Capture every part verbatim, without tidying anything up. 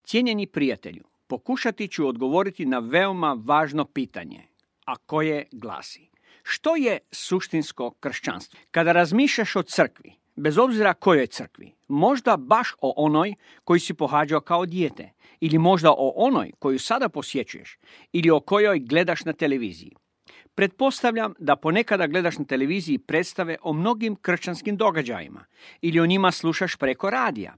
Cijenjeni prijatelju, pokušati ću odgovoriti na veoma važno pitanje, a koje glasi: što je suštinsko kršćanstvo? Kada razmišljaš o crkvi, bez obzira kojoj crkvi, možda baš o onoj koju si pohađao kao dijete, ili možda o onoj koju sada posjećuješ, ili o kojoj gledaš na televiziji. Pretpostavljam da ponekada gledaš na televiziji predstave o mnogim kršćanskim događajima ili o njima slušaš preko radija.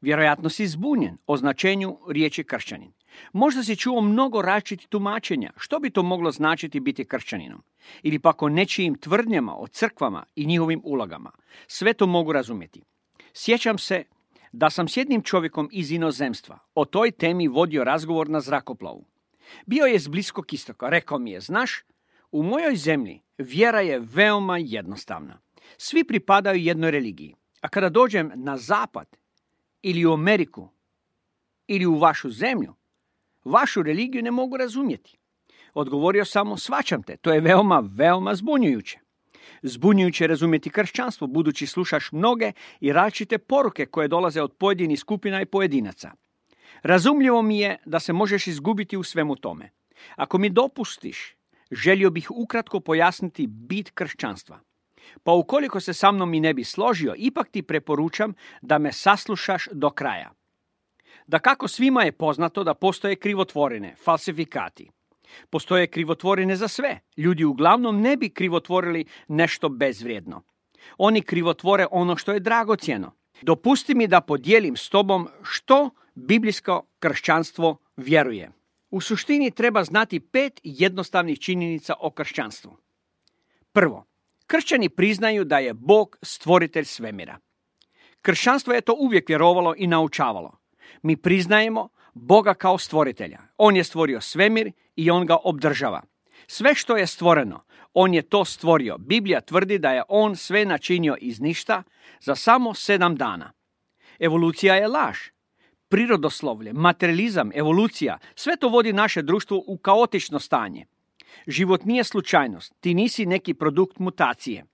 Vjerojatno si zbunjen o značenju riječi kršćanin. Možda si čuo mnogo različitih tumačenja što bi to moglo značiti biti kršćaninom, ili pak o nečijim tvrdnjama o crkvama i njihovim ulogama. Sve to mogu razumjeti. Sjećam se da sam s jednim čovjekom iz inozemstva o toj temi vodio razgovor na zrakoplovu. Bio je s Bliskog istoka. Rekao mi je: znaš, u mojoj zemlji vjera je veoma jednostavna. Svi pripadaju jednoj religiji. A kada dođem na zapad ili u Ameriku ili u vašu zemlju, vašu religiju ne mogu razumjeti. Odgovorio sam: shvaćam te, to je veoma, veoma zbunjujuće. Zbunjujuće razumjeti kršćanstvo, budući slušaš mnoge i različite poruke koje dolaze od pojedinih skupina i pojedinaca. Razumljivo mi je da se možeš izgubiti u svemu tome. Ako mi dopustiš, želio bih ukratko pojasniti bit kršćanstva. Pa ukoliko se sa mnom i ne bi složio, ipak ti preporučam da me saslušaš do kraja. Dakako, svima je poznato da postoje krivotvorine, falsifikati. Postoje krivotvorine za sve. Ljudi uglavnom ne bi krivotvorili nešto bezvrijedno. Oni krivotvore ono što je dragocjeno. Dopusti mi da podijelim s tobom što biblijsko kršćanstvo vjeruje. U suštini treba znati pet jednostavnih činjenica o kršćanstvu. Prvo, kršćani priznaju da je Bog stvoritelj svemira. Kršćanstvo je to uvijek vjerovalo i naučavalo. Mi priznajemo Boga kao stvoritelja. On je stvorio svemir i on ga obdržava. Sve što je stvoreno, on je to stvorio. Biblija tvrdi da je on sve načinio iz ništa za samo sedam dana. Evolucija je laž. Prirodoslovlje, materializam, evolucija, sve to vodi naše društvo u kaotično stanje. Život nije slučajnost, ti nisi neki produkt mutacije.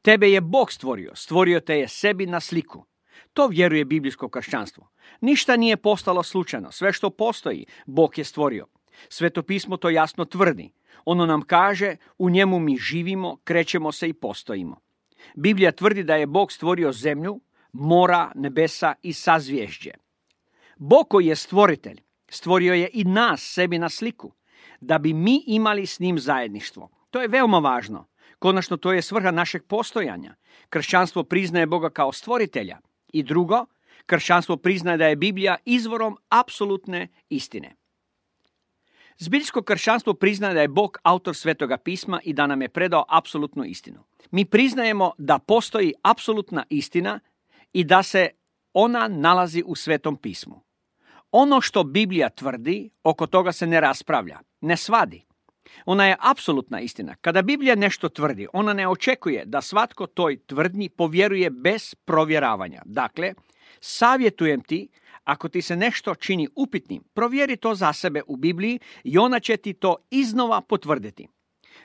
Tebe je Bog stvorio, stvorio te je sebi na sliku. To vjeruje biblijsko kršćanstvo. Ništa nije postalo slučajno, sve što postoji, Bog je stvorio. Sveto pismo to jasno tvrdi. Ono nam kaže: u njemu mi živimo, krećemo se i postojimo. Biblija tvrdi da je Bog stvorio zemlju, mora, nebesa i sazvježđe. Bog koji je stvoritelj, stvorio je i nas sebi na sliku, da bi mi imali s njim zajedništvo. To je veoma važno. Konačno, to je svrha našeg postojanja. Kršćanstvo priznaje Boga kao stvoritelja. I drugo, kršćanstvo priznaje da je Biblija izvorom apsolutne istine. Zbiljsko kršćanstvo priznaje da je Bog autor Svetoga pisma i da nam je predao apsolutnu istinu. Mi priznajemo da postoji apsolutna istina i da se ona nalazi u Svetom pismu. Ono što Biblija tvrdi, oko toga se ne raspravlja, ne svadi. Ona je apsolutna istina. Kada Biblija nešto tvrdi, ona ne očekuje da svatko toj tvrdnji povjeruje bez provjeravanja. Dakle, savjetujem ti, ako ti se nešto čini upitnim, provjeri to za sebe u Bibliji i ona će ti to iznova potvrditi.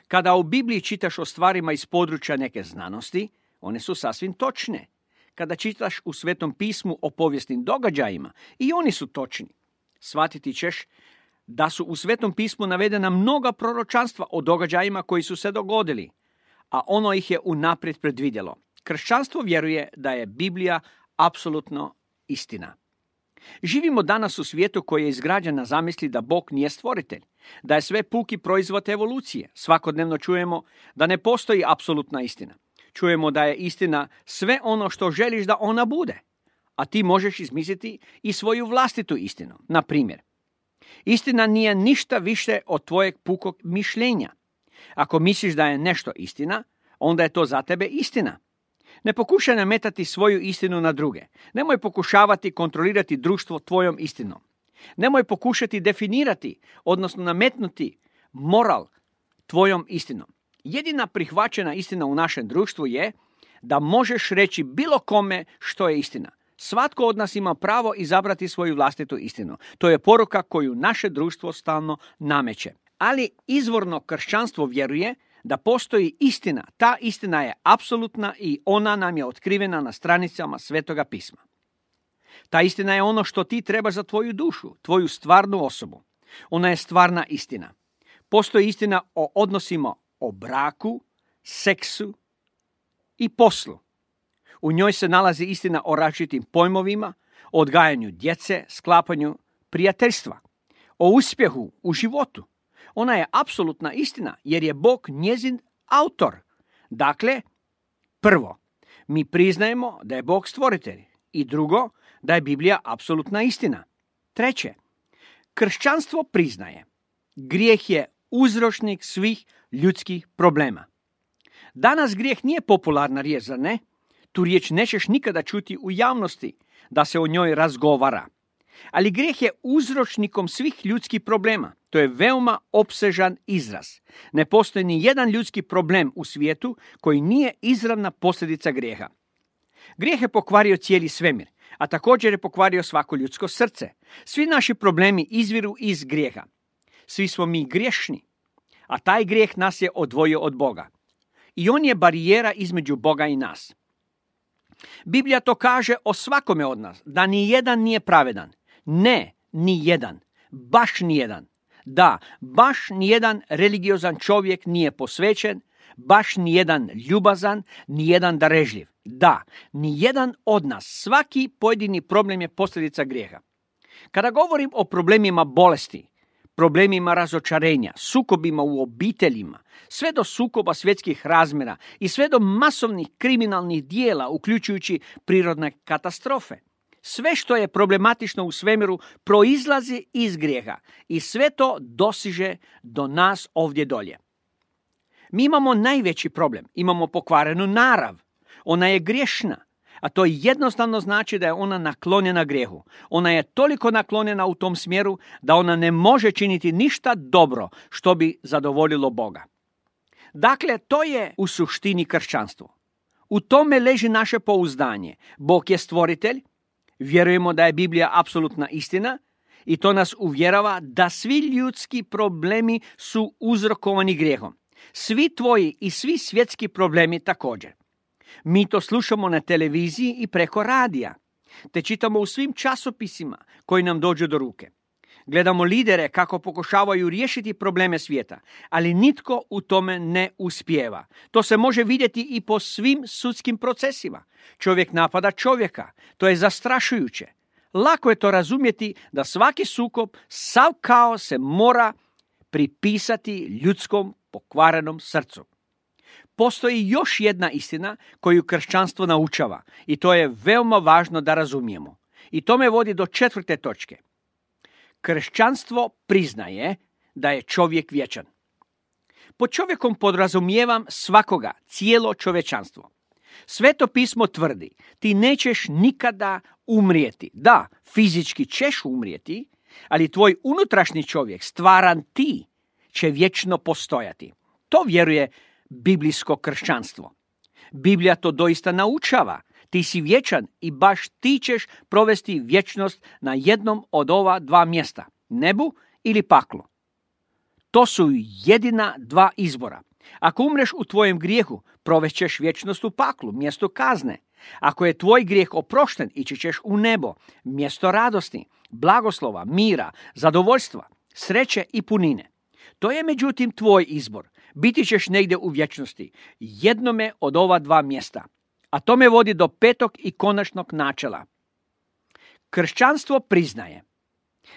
Kada u Bibliji čitaš o stvarima iz područja neke znanosti, one su sasvim točne. Kada čitaš u Svetom pismu o povijesnim događajima, i oni su točni. Shvatiti ćeš da su u Svetom pismu navedena mnoga proročanstva o događajima koji su se dogodili, a ono ih je unaprijed predvidjelo. Kršćanstvo vjeruje da je Biblija apsolutno istina. Živimo danas u svijetu koji je izgrađen na zamisli da Bog nije stvoritelj, da je sve puki proizvod evolucije. Svakodnevno čujemo da ne postoji apsolutna istina. Čujemo da je istina sve ono što želiš da ona bude, a ti možeš izmisliti i svoju vlastitu istinu. Na primjer, istina nije ništa više od tvojeg pukog mišljenja. Ako misliš da je nešto istina, onda je to za tebe istina. Ne pokušaj nametati svoju istinu na druge. Nemoj pokušavati kontrolirati društvo tvojom istinom. Nemoj pokušati definirati, odnosno nametnuti moral tvojom istinom. Jedina prihvaćena istina u našem društvu je da možeš reći bilo kome što je istina. Svatko od nas ima pravo izabrati svoju vlastitu istinu. To je poruka koju naše društvo stalno nameće. Ali izvorno kršćanstvo vjeruje da postoji istina. Ta istina je apsolutna i ona nam je otkrivena na stranicama Svetoga pisma. Ta istina je ono što ti trebaš za tvoju dušu, tvoju stvarnu osobu. Ona je stvarna istina. Postoji istina o odnosima o braku, seksu i poslu. U njoj se nalazi istina o različitim pojmovima, o odgajanju djece, sklapanju prijateljstva, o uspjehu u životu. Ona je apsolutna istina jer je Bog njezin autor. Dakle, prvo, mi priznajemo da je Bog stvoritelj i drugo, da je Biblija apsolutna istina. Treće, kršćanstvo priznaje grijeh je uzročnik svih ljudskih problema. Danas grijeh nije popularna riječ, zar ne? Tu riječ nećeš nikada čuti u javnosti da se o njoj razgovara. Ali grijeh je uzročnikom svih ljudskih problema. To je veoma opsežan izraz. Ne postoji ni jedan ljudski problem u svijetu koji nije izravna posljedica grijeha. Grijeh je pokvario cijeli svemir, a također je pokvario svako ljudsko srce. Svi naši problemi izviru iz grijeha. Svi smo mi griješni, a taj grijeh nas je odvojio od Boga. I on je barijera između Boga i nas. Biblija to kaže o svakome od nas, da ni jedan nije pravedan. Ne, ni jedan. Baš ni jedan. Da, baš ni jedan religiozan čovjek nije posvećen, baš ni jedan ljubazan, ni jedan darežljiv. Da, ni jedan od nas, svaki pojedini problem je posljedica grijeha. Kada govorim o problemima bolesti, problemima razočarenja, sukobima u obiteljima, sve do sukoba svjetskih razmjera i sve do masovnih kriminalnih dijela, uključujući prirodne katastrofe. Sve što je problematično u svemiru proizlazi iz grijeha i sve to dosiže do nas ovdje dolje. Mi imamo najveći problem, imamo pokvarenu narav. Ona je griješna, a to jednostavno znači da je ona naklonjena grijehu. Ona je toliko naklonjena u tom smjeru da ona ne može činiti ništa dobro što bi zadovoljilo Boga. Dakle, to je u suštini kršćanstvo. U tome leži naše pouzdanje. Bog je stvoritelj, vjerujemo da je Biblija apsolutna istina i to nas uvjerava da svi ljudski problemi su uzrokovani grijehom. Svi tvoji i svi svjetski problemi također. Mi to slušamo na televiziji i preko radija, te čitamo u svim časopisima koji nam dođu do ruke. Gledamo lidere kako pokušavaju riješiti probleme svijeta, ali nitko u tome ne uspijeva. To se može vidjeti i po svim sudskim procesima. Čovjek napada čovjeka, to je zastrašujuće. Lako je to razumjeti da svaki sukob, sav kaos se mora pripisati ljudskom pokvarenom srcu. Postoji još jedna istina koju kršćanstvo naučava i to je veoma važno da razumijemo. I to me vodi do četvrte točke. Kršćanstvo priznaje da je čovjek vječan. Pod čovjekom podrazumijevam svakoga, cijelo čovječanstvo. Sveto pismo tvrdi, ti nećeš nikada umrijeti. Da, fizički ćeš umrijeti, ali tvoj unutrašnji čovjek, stvaran ti, će vječno postojati. To vjeruje biblijsko kršćanstvo. Biblija to doista naučava. Ti si vječan i baš ti ćeš provesti vječnost na jednom od ova dva mjesta, nebu ili paklu. To su jedina dva izbora. Ako umreš u tvojem grijehu, provešćeš vječnost u paklu, mjesto kazne. Ako je tvoj grijeh oprošten, ići ćeš u nebo, mjesto radosti, blagoslova, mira, zadovoljstva, sreće i punine. To je međutim tvoj izbor. Biti ćeš negdje u vječnosti, jednome od ova dva mjesta. A to me vodi do petog i konačnog načela. Kršćanstvo priznaje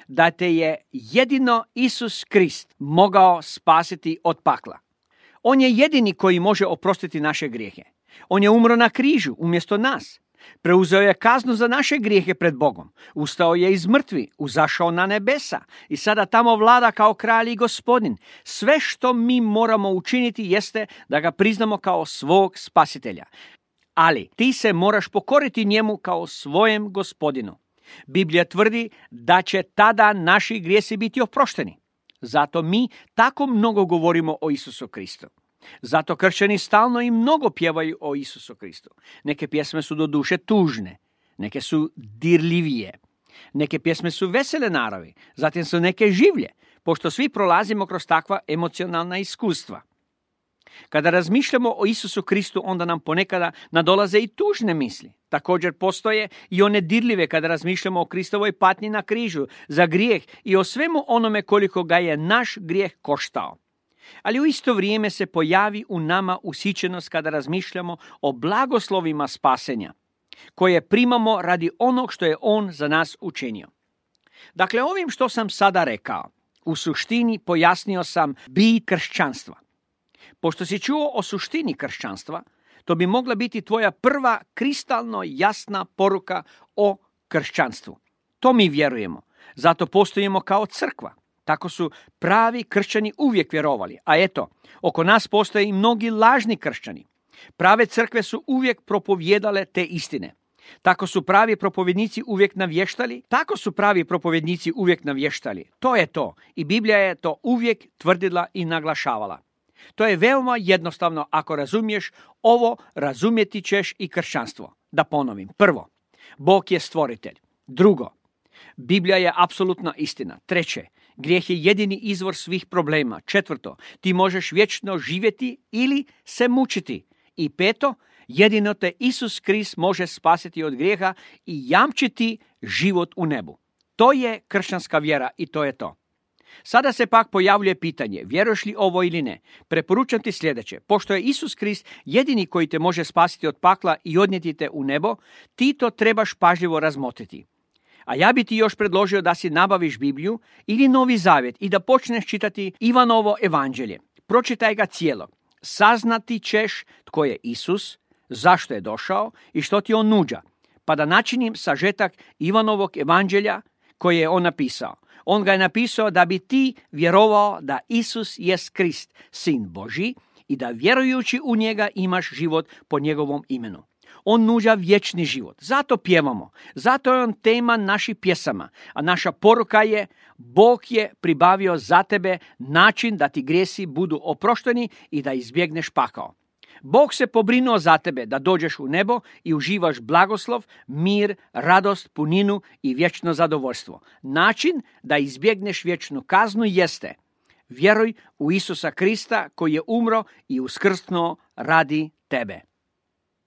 da te je jedino Isus Krist mogao spasiti od pakla. On je jedini koji može oprostiti naše grijehe. On je umro na križu umjesto nas. Preuzeo je kaznu za naše grijehe pred Bogom. Ustao je iz mrtvi, uzašao na nebesa i sada tamo vlada kao kralj i gospodin. Sve što mi moramo učiniti jeste da ga priznamo kao svog spasitelja. Ali ti se moraš pokoriti njemu kao svojem gospodinu. Biblija tvrdi da će tada naši grijesi biti oprošteni. Zato mi tako mnogo govorimo o Isusu Kristu. Zato kršćani stalno i mnogo pjevaju o Isusu Kristu. Neke pjesme su do duše tužne, neke su dirljivije, neke pjesme su vesele naravi, zatim su neke življe, pošto svi prolazimo kroz takva emocionalna iskustva. Kada razmišljamo o Isusu Kristu, onda nam ponekada nadolaze i tužne misli. Također postoje i one dirljive kada razmišljamo o Kristovoj patnji na križu za grijeh i o svemu onome koliko ga je naš grijeh koštao. Ali u isto vrijeme se pojavi u nama usićenost kada razmišljamo o blagoslovima spasenja, koje primamo radi onog što je On za nas učinio. Dakle, ovim što sam sada rekao, u suštini pojasnio sam bit kršćanstva. Pošto si čuo o suštini kršćanstva, to bi mogla biti tvoja prva kristalno jasna poruka o kršćanstvu. To mi vjerujemo, zato postojimo kao crkva. Tako su pravi kršćani uvijek vjerovali. A eto, oko nas postoje i mnogi lažni kršćani. Prave crkve su uvijek propovjedale te istine. Tako su pravi propovjednici uvijek navještali, tako su pravi propovjednici uvijek navještali. To je to. I Biblija je to uvijek tvrdila i naglašavala. To je veoma jednostavno. Ako razumiješ ovo, razumjeti ćeš i kršćanstvo. Da ponovim. Prvo, Bog je stvoritelj. Drugo, Biblija je apsolutna istina. Treće, grijeh je jedini izvor svih problema. Četvrto, ti možeš vječno živjeti ili se mučiti. I peto, jedino te Isus Krist može spasiti od grijeha i jamčiti život u nebu. To je kršćanska vjera i to je to. Sada se pak pojavljuje pitanje, vjeruješ li ovo ili ne? Preporučam ti sljedeće. Pošto je Isus Krist jedini koji te može spasiti od pakla i odnijeti te u nebo, ti to trebaš pažljivo razmotriti. A ja bi ti još predložio da si nabaviš Bibliju ili Novi Zavjet i da počneš čitati Ivanovo evanđelje. Pročitaj ga cijelo. Saznati ćeš tko je Isus, zašto je došao i što ti on nuđa. Pa da načinim sažetak Ivanovog evanđelja koje je on napisao. On ga je napisao da bi ti vjerovao da Isus jest Krist, Sin Božji, i da vjerujući u njega imaš život po njegovom imenu. On nuđa vječni život. Zato pjevamo. Zato je on tema naših pjesama. A naša poruka je, Bog je pribavio za tebe način da ti grijesi budu oprošteni i da izbjegneš pakao. Bog se pobrinuo za tebe da dođeš u nebo i uživaš blagoslov, mir, radost, puninu i vječno zadovoljstvo. Način da izbjegneš vječnu kaznu jeste: vjeruj u Isusa Krista koji je umro i uskrsnuo radi tebe.